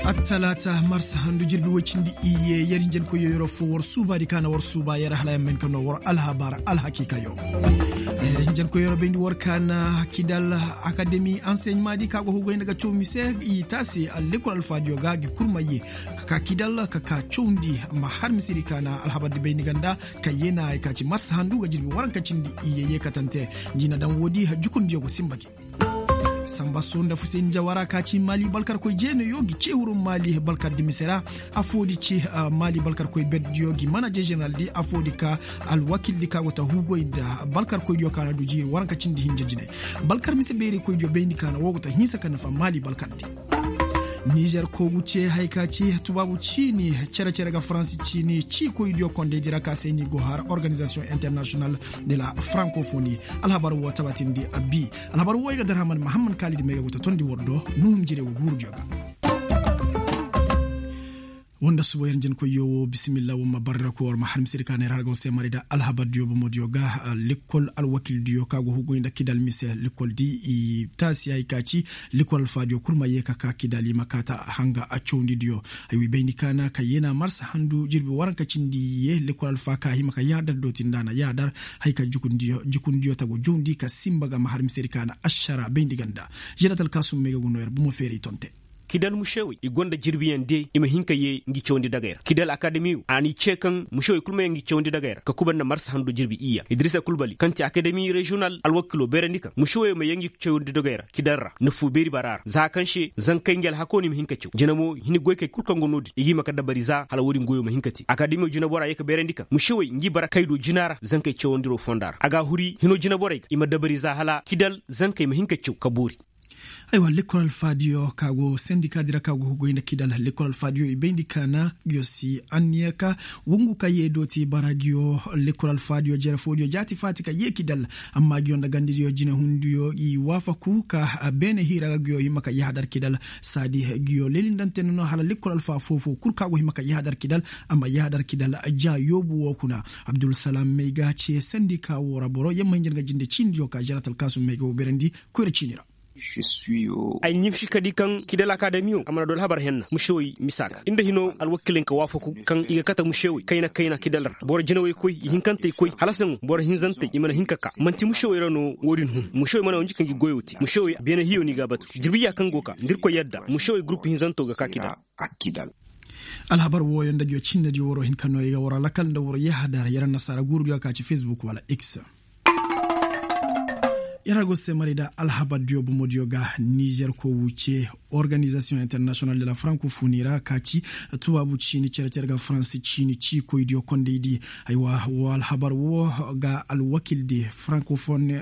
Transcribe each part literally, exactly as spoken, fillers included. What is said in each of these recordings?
Attalaata marsa handu jirbi woy cindi iyye yer hinjankoyyo yeroo foo war suubaadi ka na war suuba yer hala yamma hin ka noo war alhabar alhakiikayo. Yer hinjankoyyo yeroo bayndi war ka na kidal akademi anseɲmaadi ka go hugoy nda ga caw mise i taasi lekkol alfaadiyo ga gi kurmayye ka ka kidal ka ka cawndi. Amma har misedi ka na alhabardi bayndi ganda ka yeenaay ka ci marsa handu ga jirbi waranka cindi iyye yeekatante. Nda i na daŋ woodi jukundiyo go simba gi. Samba soo nda fuseni jawara ka ci maali balkarkoy jeenayo gi ceehuru maali balkardi mise ra. Afoodi ci maali balkarkoy berdiyo gi manaje ženeraldi afoodi ka alwakildi ka go ta huugoy nda balkarkoydiyo ka na du jiiri waranka cindi hinja jine. Balkar mise beeraykoydiyo bayndi ka na woo go ta hinsa ka nafa maali balkardi. Nizer koogu ce haya ka ci tubaabu ciini cere-cere ga faransi ciini ciikoydiyo kondaydi ra ka se ni go har organizasiyoŋ internasiyonal de la frankofoni. Alhabar woo tabatindi abi. Alhabar woo ay ga dar haman mahamman kaalidi may ga go ta tondi war do nuhum jire wo guurudiyo ga. Woo nda suba yer njenkoyyo woo bisimilla woo ma barra ko war ma har misedi ka neera har ga woo se mari nda alhabardiyo bomodiyo ga. Lekkol alwakildiyo ka go hugoy nda kidal mise lekkoldi i taasi hay ka ci lekkol alfaadiyo kul ma yee ka ka kidal i ma kaa ta hanga cawndi diyo. Ay wi bayndi ka na ka yeena marsa handu jirbi waranka cindi yee lekkol alfaa ka hima ka yaadar dooti nda a na yaadar. Hay ka jukundiyo tago jawndi ka simba ga ma har misedi ka na ašara bayndi ganda. Žerat alkaasum may ga go noo yer bomo feeray tonte. Kidal mušewey i gonda jirbiyaŋ de i ma hin ka yee ngi cawandi dagey ra kidal akademiyo a n'i cee kaŋ mušewey kul ma yee ngi cawandi dagey ra ka kuba nda marsa handu jirbi iyya idirisa kulbali kaŋ ti akademi reziyonal alwakilo beerandi kaŋ mušewey ma yee ngi cawandi dagey ra kidal ra nafu beeri bara ra za kaŋ se zankey ngi alhakoo no i ma hin ka caw jina mo hini goykey kul kaŋ go no-din i ga hima ka dabari za hala wo-din goyo ma hin ka te akademiyo jinabora yee ka beerandi kaŋ mušewey ngi bara kay do jina ra zankey cawandiroo fonda ra a ga a huri hino jinaborey ga i ma dabari za hala kidal zankey ma hin ka caw ka boori. Aywa lekkol alfaadiyo ka go sendikaadi ra ka go goy nda kidal lekkol alfaadiyo i bayndi ka na nguyo si anniya ka wongu ka yee dooti bara nguyo lekkol alfaadiyo jere foodiyo jaati faati ka yee kidal. Amma nguyo nda gandediyo jinehundiyo i waafaku ka beene hiira ga nguyo hima ka yahadar kidal saadi nguyo leelindante nono hala lekkol alfaa foofoo kul ka go hima ka yahadar kidal. Amma yahadar kidal ja yoobu woo kuna abdulsalaam may ga ce sendika woo ra boro yamma hinja nga jinde ciinidiyo ka žerat alkaasum may ga woo beerandi. Koyra ciini ra. Ay ɲimsi ka di kaŋ kidal akademiyo a mana du alhabar henna mušewey misa ga nda hino alwakiley ka waafaku kaŋ i ga kate mušewey kayna kayna kidal ra boro jinawey koy ihinkantey koy hala saŋo boro hinzantey i mana hin ka ka man'ti mušewey ra no wo-din hun mušewey mana wanji ka ngi goyoo te mušewey beene hiyo no i ga a batu jirbiya kaŋ go ka nda irkoy yadda mušewey gurupu hinzanto ga ka kidal. Alhabar wooyo nda nguyo cinnediyo waroo hin ka noo i ga waroo lakal nda waroo yahadar yer annasaara guurudiyo ka ci fesbuk wala x. Yer har go se maray nda alhabardiyo bomodiyo ga nizer koo wuce organizasiyoŋ internasiyonal de la frankofoni ra ka ci tubaabu ciini cere-cere ga faransi ciini ciikoydiyo kondaydi. Aywa woo alhabar woo ga alwakildi frankofoni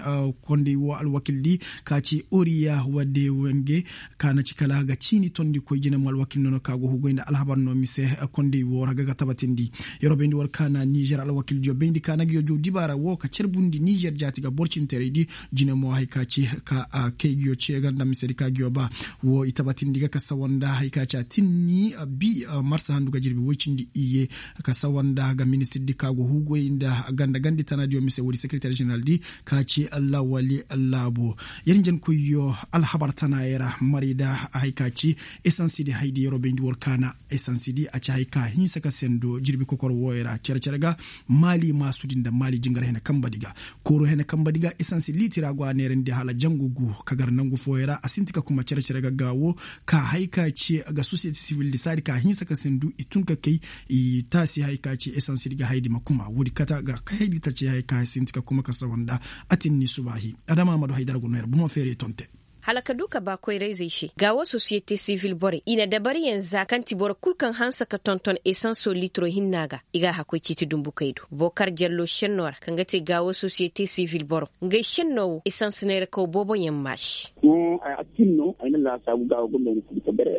konday woo alwakildi ka ci oriya wadde wenge ka na ci kala ga ciini tondikoy jine mo alwakil nono ka go hugoy nda alhabar no mise. Kondey woo ra ga ga tabatindi. Yeroo bayndi war ka na nizer alwakildiyo bayndi ka na nguyo jow dibaara woo ka carbundi nizer jaati ga boro cinteraydi. Jine mo hay ka ci ka kay nguyo cee ga nda misedi ka nguyo ba. Woo i tabatindi ga ka sawa nda hay ka ci a tinni bi marsa handu ga jirbi woy cindi iyye. Ka sawa nda ga ministirdi ka go hugoy nda ganda gandi tanadiyo mise woodi sekereter ženeraldi ka ci lawali laabo. Yer njenkoyyo alhabar tanaayey ra marayda hay ka ci esansidi haydi yeroo bayndi war ka na esansidi a ci hay ka hinsa ka sendo jirbi kokor wooyo ra cere-cere ga. Maali maasudi nda maali jingar hene kambadi ga kooro hene kambadi ga esansi liitira go a neerandi hala jangu gu ka gar nangu fooyo ra a sinti ka kuma cere-cere ga gaawo. Ka hay ka ci ga sosiyete sivildi saadi ka hinsa ka sendu i tun ka kay i taasi hay ka ci esansidi ga haydi ma kuma woodi kata ga kay haydi ta ci hay ka sinti ka kuma ka sawa nda. A tinni subaahi adama amadu haydara go no yer bomo feeray tonte. Hala ka du ka ba koyra-izey se gaawo sosiyete sivil borey i na dabariyaŋ za kaŋ ti boro kul kaŋ hanse ka tonton esanso litiro hinna ga i g'a hakkoy ciiti dumbukey do bookar jallo šennoo ra kaŋ ga te gaawo sosiyete sivil boro ngey šennoo woo esans neerakaw booboyaŋ maasi. Hõ a tin no ay na laasaabu ga wa gonda ay na furta bare.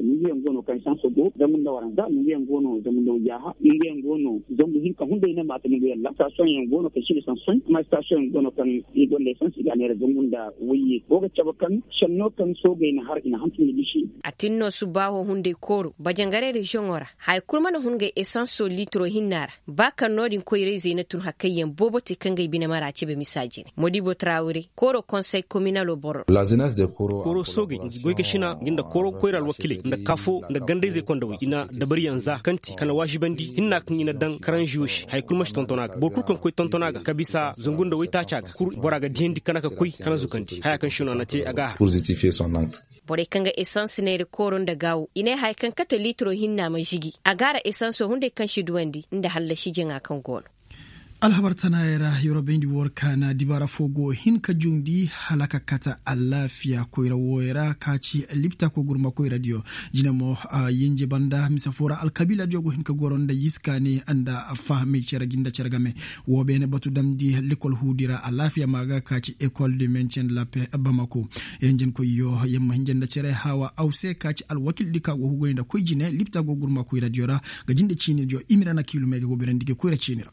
Ninguyaŋ go no kaŋ sanso go zangu nda waranza ninguyaŋ go no zangu nda wayyaha ninguyaŋ go no zangu hinka hunday na maata ninguyaŋ ra sitasiyoŋ yaŋ go no kaŋ si nda sansoy amma sitasiyoŋ yaŋ go no kaŋ i gonda esans i ga a neera zangu nda wayye go ga cabe kaŋ senno kaŋ soogey na har i na hantum nda gisi. A tin no subbaaho hunday kooro bajangaray reziyoŋo ra haya kul mana hun ngey esanso liitiro hinna ra. Ba kaŋ no-din koyra-izey na tun hakayyaŋ boobo te kaŋ ga ay bine mara cebe misa jine modibo tarawire kooro konsey kominalo boro. Kooro soogey ngi goy ga sina ngi nda kooro koyra alwakiiley nda kaafo nda ganda-izey kondawey i na dabariyaŋ za kaŋ ti kala waazibandi hinna kaŋ i na daŋ karanziyo se haya kul ma si tonton a ga boro kul kaŋ koy tonton a ga ka bisa zangu nda waytaaca ga kul bora ga diyandi kana ka koy kana zukandi haya kaŋ se no a na te a ga a har. Borey kaŋ ga esans neera kooro nda gaawo i ne haya kaŋ kate liitiro hinna ma žigi a gaara esanso hunday kaŋ si duwandi nda hallasi jaŋa kaŋ go no. Alhabar tanaayey ra yorobayndi war kaana dibaara foo go hin ka jundi hala ka kate alaafiya koyra wooyey ra ka ci lipta kogurma koyradiyo. Jine mo yinje banda mise foo ra alkabiiladiyo go hin ka goro nda yiskaani nda fahamey cere jinde cere game. Woo beene batu damndi lekol huudi ra alaafiya ma ga ka ci ekol de menceŋ lape bamako. Yer hinjankoyyo yer ma hinja nda cere haawa aw se ka ci alwakiildi ka go hugoy nda koy jine lipta go gurma koyradiyo ra. Ga jinde ciinidiyo imira na kiilumey ga go birandi ga koyra ciini ra.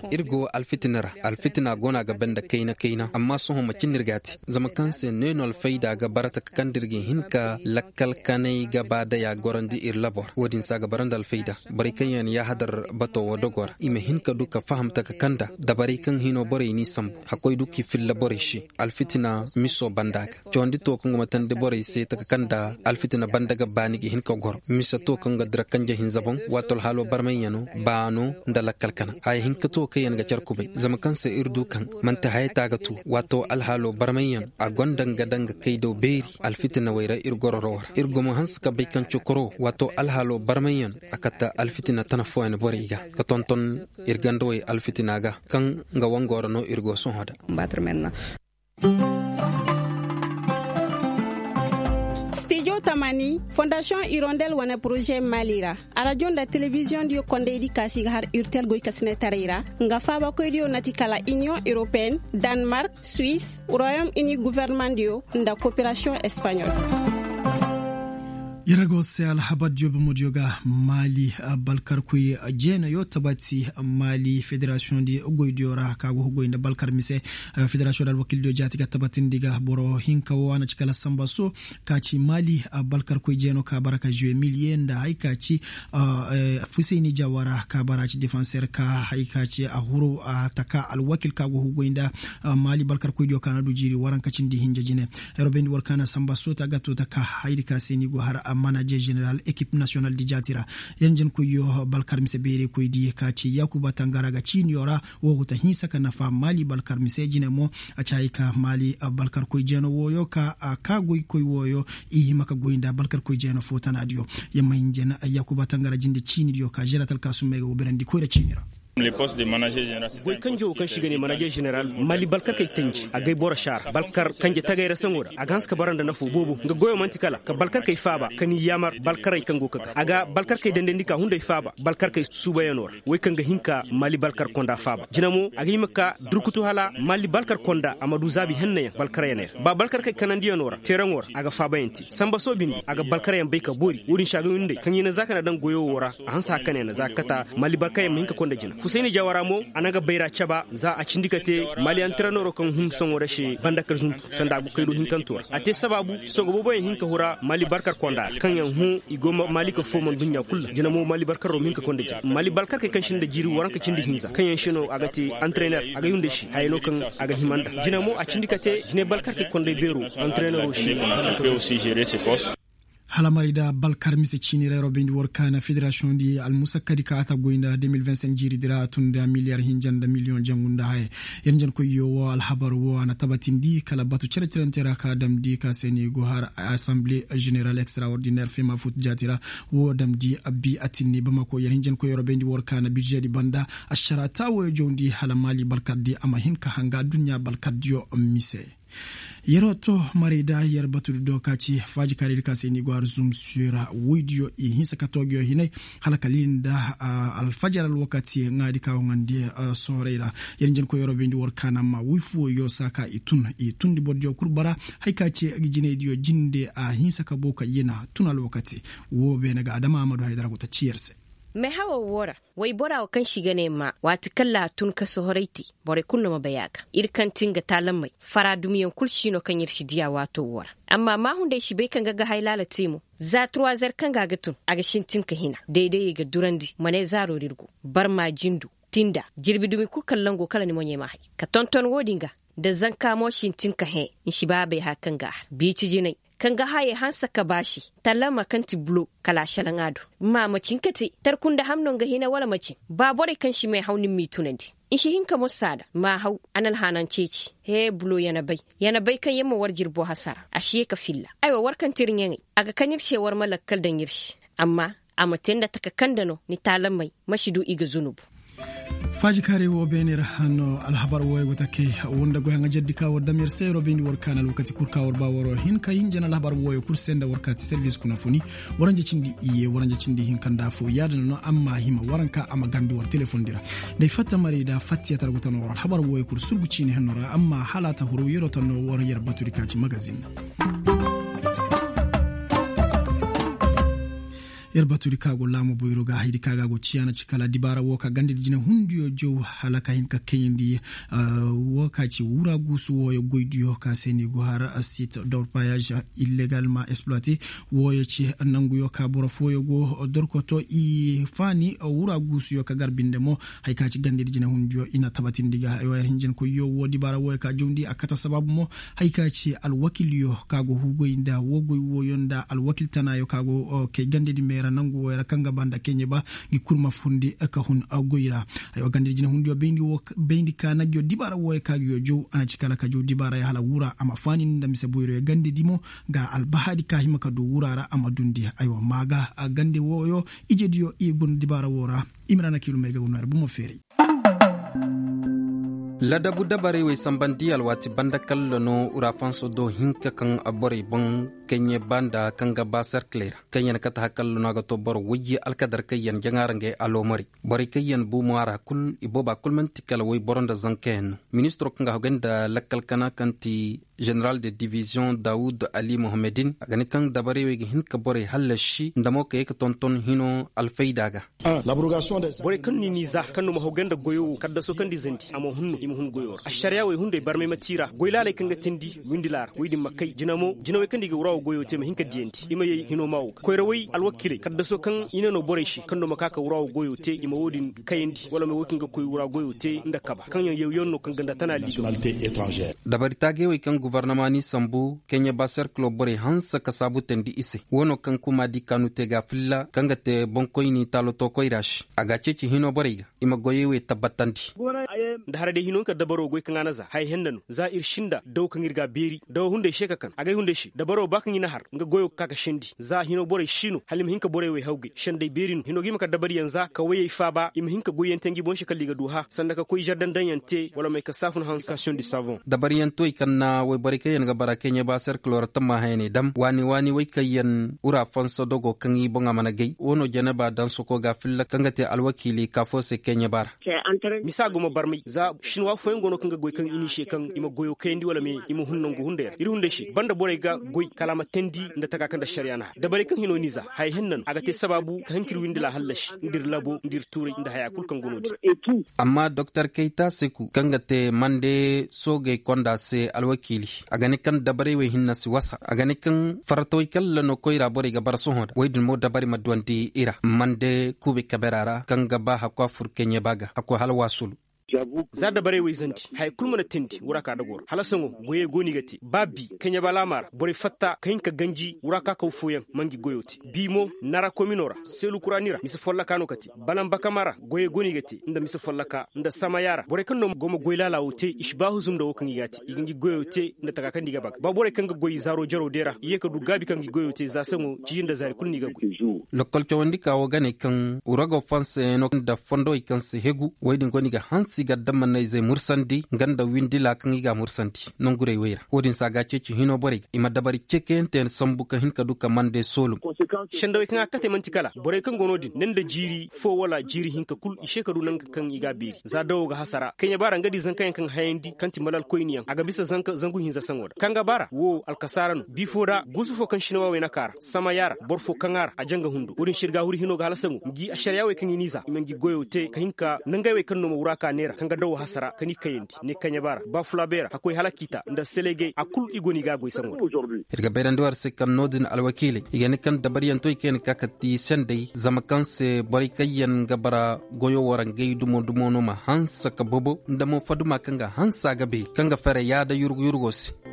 Ir go alfitina ra. Alfitina go no a ga banda kayna kayna amma sohõ macin no ir ga a te? Zama kaŋ se neenoo alfayda ga bara taka kaŋ da ir ga hin ka lakkal kanay gaba day a gorandi ir labo ra wo-din se a ga bara nda alfayda. Borey kaŋ yaŋ yaahadar bato wo dogo ra i ma hin ka du ka faham taka kaŋ nda dabarey kaŋ hino borey n'i sambu hakkoy du k'i filla borey se. Alfitina miso banda ga cawandi to kaŋ ga matandi borey se taka kaŋ nda alfitina banda ga baani ga hin ka goro mise to kaŋ ga dira kanje hinza boŋ. Waato alhaalo barmayyaŋo baano nda lakkal kana haya hinka to kaŋ yaŋ ga care kubay zama kaŋ se ir du kaŋ manti haya ta ga tu waato alhaalo barmayyaŋ a gonda nga daŋ ga kay daw beeri. Alfitinawey ra ir gororo ra ir go ma hanse ka bay kaŋ cokoro waato alhaalo barmayyaŋ a kate alfitina tana fooyaŋ borey ga ka tonton ir gandawey alfitina ga kaŋ nga wango ra no ir go sohõ da. Stijo tamani fondasiyoŋ irondel wane poroze mali ra arajo nda telebiziyoŋ diyo kondaydi kaasi ga har urtel goy ka sine taray ra nga faabakoy diyo na ti kala iniyoŋ europeen, danmark, suwis, royom ini guverneman diyo nda koperasiyoŋ espaɲol. Yer go se alhabar diyo bomo diyo ga mali balkarkoy jeenayo tabati mali federasiyoŋ di goy diyo ra ka go goy nda balkar mise. Federasiyoŋ da alwakiil diyo jaati ga tabatindi ga boro hinka wo a na ci kala samba so ka ci mali balkarkoy jeeno ka bara ka zuwe miliye nda hay ka ci fusayni jawara ka bara ci defanseer ka hay ka ci a huru a taka alwakiil ka go hugoy nda mali balkarkoy diyo ka na du jiiri waranka cindi hinja jine. Yer wo bayndi war ka na samba soota ga to taka hayri ka se ni go har manaje ženeral ekip nasiyonal di jaati ra. Yer njenkoyyo balkar mise beerekoy di ka ci yakuba tangara ga ciiniyo ra. Wo go ta hinsa ka nafa mali balkar mise jine mo a ci hay ka mali balkarkoy jeeno wooyo ka ka goykoy wooyo i hima ka goy nda balkarkoy jeeno fo tanaadiyo. Yer ma hin jena yakuba tangara jinde ciinidiyo ka žeratal ka summey ga go berandi koyra ciini ra. Goy kanjo wo kaŋ se i ga ne manajer ženeral mali balkarkey kanji agay boro saara balkar kanje tagay ra saŋo ra a ga hanse ka bara nda nafo boobo nga goyo man'ti kala ka balkarkey faaba ka ni yaamar balkarey kaŋ go ka ga a ga balkarkey dandandi ka hunday faaba balkarkey suubayanoo ra. Wey kaŋ ga hin ka mali balkar konda faaba jina mo a ga hima ka durkutu hala mali balkar konda a ma du zaabi hennayaŋ balkaryaney ra ba balkarkey kanandiyanoo ra teeraŋo ra a ga faabayaŋ te samba soo bindi a ga balkaryaŋ bay ka boori wo-din se a ga windey kaŋ i na za ka na daŋ goyo wo ra. A hanse hakane na za ka kata mali barkayaŋ ma hin ka konda jina fusayni jawara mo a na nga bayra caba za a cindi ka te mali antirenero kaŋ hun soŋo ra se banda ka zuntu sanda a go kaydo hinkanto ra a te sabaabu sogo booboyaŋ hin ka hura mali barkar konda ra kaŋ yaŋ hun i go mali ka fooman duɲɲa kul ra jina mo mali barkaro ma hin ka konda jina mali barkar kay kaŋ sinda jiiri waranka cindi hinza kaŋ yaŋ se no a ga te antirener a ga yunda se haya no kaŋ a ga hima nda jina mo a cindi ka te jinay balkar kay konday beero antirenero se. Hala maray da balkar mise ciini ra yeroo bayndi war kaana federasiyoŋ di almusakkadi ka a ta goy nda deux mille vingt cinq jiiri di ra a tun nda miliyar hinja nda miliyoŋ jangu nda haya. Yer njankoyyo wo alhabar wo a na tabatindi kala batu cere-cerante ra ka damndi ka se ni go har asamble ženeral extraordinaire fema fut jaati ra. Wo damndi abbi atinni bamako yer hinjankoy yeroo bayndi war kaana bize di banda ašara taawoyo jawndi hala maali balkar di a ma hin ka hanga aduɲɲa balkar diyo mise. Yeroo to maray da yer batudi do ka ci faaji kaaraydi ka se ni go har zumsiyo ra woydiyo i hinsa ka toogiyo hinay hala ka lili nda alfajar alwakati ŋaadi ka waŋandi. Sooray ra yer njenkoy yeroo bayndi war kaana amma woy fuwo yoo saa ka i tun i tundi bordiyo kul bara. Hay ka ci jinaydiyo jinde a hinsa ka boo ka yena tun alwakati. Woo beene ga adama amadu haydara go ta ci yer se. Mehawo woo ra waybora woo kaŋ se i ga ne maa waati kaŋ ra a tun ka sohoray te. Borey kul no ma bay a ga ir kaŋ ti nga taalammey fara dumiyaŋ kul si no kaŋ ir si diya waato woo ra. Amma maahunday si bay kaŋ ga ga hay laala te mo. Za turwazer kaŋ ga a ga tun a ga sintin ka hina daydayey ga durandi ma ne zaaro ra ir go. Barma jindu tinda jirbi dumi kul kaŋ lango kala ni moɲey ma hay ka tonton woo din ga. Nda zanka mo sintin ka hẽ nsi baabey haya kaŋ ga a har biici jinay kaŋ ga hayey hanse ka baasi. Talama kaŋ ti bulo kala a selaŋ a do. Mma ma cin ka te tarku nda ham no nga hina wala ma cin. Ba borey kaŋ si meehaw ni m'i tunandi nsi hin ka mosa a da mma haw. A na alhaanaŋ ceeci hee bulo yana bay. Yana bay kaŋ yer ma war jirbo hasara a si ye ka filla. Aywa war kaŋ ti ir ɲaŋey a ga kan ir se war ma lakkal daŋ ir se. Amma a ma te nda taka kaŋ nda no ni taalamey ma si du i ga zunubu. Faajikaaray woo beene ra no alhabar wooyo go ta kay. Woo nda goy haŋajerdi ka war dam yer se yeroo bayndi war kaana alwakati kul ka war ba waroo hin ka hinja na alhabar wooyo kul se nda war kaati servis kuna funi. Waranja cindi iyye waranja cindi hinka nda afoo yaadin no amma hima waranka a ma garndi war telefondi ra. Nda ay fatta maray da fattiya tara go ta no war alhabar wooyo kul surgu ciini henno ra amma hala a ta huru yeroo ta no war yer batudi ka ci magazin. Yer batudi ka go laamu boyro ga haydi ka ga go ciyaana ci kala dibaara woo ka gandedi jine hundiyo jow hala ka hin ka kayandi. Woo ka ci wura guusu wooyo goydiyo ka se ni go har sit dorpayage illegalma exploite. Wooyo ci nanguyo ka boro fooyo go dorkoto i faani wura guusuyo ka gar binde mo. Hay ka ci gandedi jine hundiyo i na tabatindi ga ay wa yer hinjinkoyyo woo dibaara wooyo ka jowndi a kate sabaabu mo. Hay ka ci alwakilyo ka go hugoy nda woo goy wooyo nda alwakil tanaayo ka go kay gandedi meera nangu wooyo ra kaŋ ga ba nda keɲe ba. Ngi kul ma fundi ka hun goy ra. Ay wa gandedi jine hundiyo bayndi ka na ngiyo dibaara wooyo ka ngiyo jow a na ci kala ka jow dibaara ya hala wura a ma faani nda mise boyroyo gandedi mo. Ga albahaadi ka hima ka du wura ra a ma dundi ay wa maa ga gande wooyo. Ijediyo i guna dibaara woo ra. I ma ra na kiilumey ga guna ra bumo feeray. Ladabu dabarey wey sambandi alwaati banda kalla no urafanso do hinka kaŋ borey boŋ keɲe ba nda kaŋ ga ba serkiley ra kaŋ yaŋ kate hakalla no a ga to boro wayye alkadar kaŋ yaŋ jaŋa ra ngey aloomari. Borey kaŋ yaŋ buumo a ra kul i booba kul man'ti kala wayboro nda zanka yaŋ no. Ministiro kaŋ ga hogay nda lakkal kana kaŋ ti ženeral de diviziyoŋ dawud ali mohammedin a ga ne kaŋ dabarey wey ga hin ka borey hallasi nda mo ka ye ka tonton hino alfayda ga. Borey kaŋ no i n'i za kaŋ no ma hawgay nda goyo wo kaddaso kaŋ nda i zandi a ma hun no i ma hun goyo ra ašariyaa wey hunday barmay ma tiira goy laaley kaŋ ga teendi windi laara wey din ma kay jina mo jinawey kaŋ nda i ga wura wo goyo te ma hin ka diyandi i ma yay hino maa wo ga koyrawey alwakiiley kaddaso kaŋ i ne no borey se kaŋ no ma ka ka wura wo goyo te i ma wo- din kayandi wala ma wo kaŋ ga koy wura goyo te nda kaba kaŋ yaŋ yawyaŋ no kaŋ ga nda tana liido. Dabari taagey wey kaŋ gobornoma n'i sambu keɲe ba serkilo borey hanse ka saabu teendi i se wo no kaŋ kuma di kaanu te ga filla kaŋ ga te boŋkoyni taaloto koyra se a ga a ceeci hino borey ga i ma goyey wey tabbatandi. Nda hara day hino nga ka dabaro goy kaŋ a na za haya henna no za ir sinda daw kaŋ ir ga a beeri daw hunday se ka kan agay hunday se dabaro ba kaŋ i na har nga goyo ga ka ka sendi za hino borey si no hala i ma hin ka borey wey hawgay senday beeri no hino ga i ma ka dabariyaŋ za ka woyey faaba i ma hin ka goyyaŋ te ngi boŋ se kala i ga du hã sanda ka koy zardandaŋyaŋ te wala may ka saafun hanse. Dabariyaŋ to i kaŋ na woyborey kaŋ yaŋ ga bara keɲe ba serkilo ra tamma hayaney dam waani waani wey kaŋ yaŋ wura fansa dogo kaŋ i boŋ a mana gay wo no janaba daŋ soko ga filla kaŋ ga te alwakiili ka fo se keɲe ba ra. Misa gumo barmay za sinwa fooyaŋ go no kaŋ ga goy kaŋ i n'i se kaŋ i ma goyo kayandi wala me i ma hun nangu hunday ra ir hunday se banda borey ga goy kala a ma teendi nda taka kaŋ nda ašariyaa na har dabarey kaŋ hino n'i za haya henna no a ga te sabaabu ka hin ka ir windi laahallasi nda ir labo nda ir tuuray nda hayaa kul kaŋ go no-din. Amma doktor kayta seku kaŋ ga te mande soogey konda se alwakiili a ga ne kaŋ dabarey wey hinna si wasa a ga ne kaŋ faratawey kalla no koyra borey ga bara sohõ nda wey din mo dabari ma duwandi i ra mande kuube kabera ra kaŋ ga ba hakku a fur keɲe ba ga hakku hala waasulu. Za dabarey wey zandi haya kul mana teendi wura ka dagoo ra hala sohõ goyey go no i ga te ba bi keɲe ba laamaa ra borey fatta ka hin ka ganji wura ka kaw fooyaŋ ma ngi goyo te bi mo nara komino ra seelu kuraani ra mise folloka no ka te balanbakama ra goyey go no i ga te nda mise folloka nda samaya ra borey kaŋ no go ma goy laala wo te i si ba huzum nda wo kaŋ i ga a te i ga ngi goyo te nda taka kaŋ nda i ga ba ga ba borey kaŋ ga goy zaaro jaro day ra i ye ka du gaabi kaŋ ngi goyo te za saŋo ciiji nda zaari kul no i ga goy. Lokkol cawandi ka wo ga ne kaŋ wurago fansayaŋo nda fondowey kaŋ si hegu wey din go no i ga hanse ti gaddama na izey mursandi nga nda windila kaŋ i ga a mursandi nongurey wey ra wo-din se a ga a ceeci hino borey ga i ma dabari cekayanteyaŋ sambu ka hin ka du ka mande soolum. Sendawey kaŋ a kate man'ti kala borey kaŋ go no-din ne nda jiiri fo wala jiiri hinka kul i se ka du nanga kaŋ i ga a beeri za dawo ga hasara kayɲe baara nga di zankayaŋ kaŋ hayandi kaŋ ti malal koyniyaŋ a ga bisa zangu hinza saŋo da kaŋ ga baara wo alkasaara no bi fo da guusu fo kaŋ sinawa wey na kaara sama yaara boro fo kaŋ a ra a janga hundo wo-din sirga huri hino ga hala saŋo ngi ašariya wey kaŋ i n'i za i ma ngi goyo te ka hin ka nangay wey kaŋ no ma wura ka neera kaŋ ga dawo hasara ka n'i kayandi ne kaɲe baara ba fulabeera hakkoy hala kiita nda selegey a kul i go no i ga a goy saŋo da. Ir ga bayrandi war se kaŋ no-din alwakiiley i ga ne kaŋ dabaryaŋ to i kayna ka kati sendey zama kaŋ se borey kaŋ yaŋ ga bara goyo wo ra ngey dumo dumo no ma hanse ka bobo nda mo faduma kaŋ ga hanse a ga beeri kaŋ ga fere yaada yurgu yurgo se.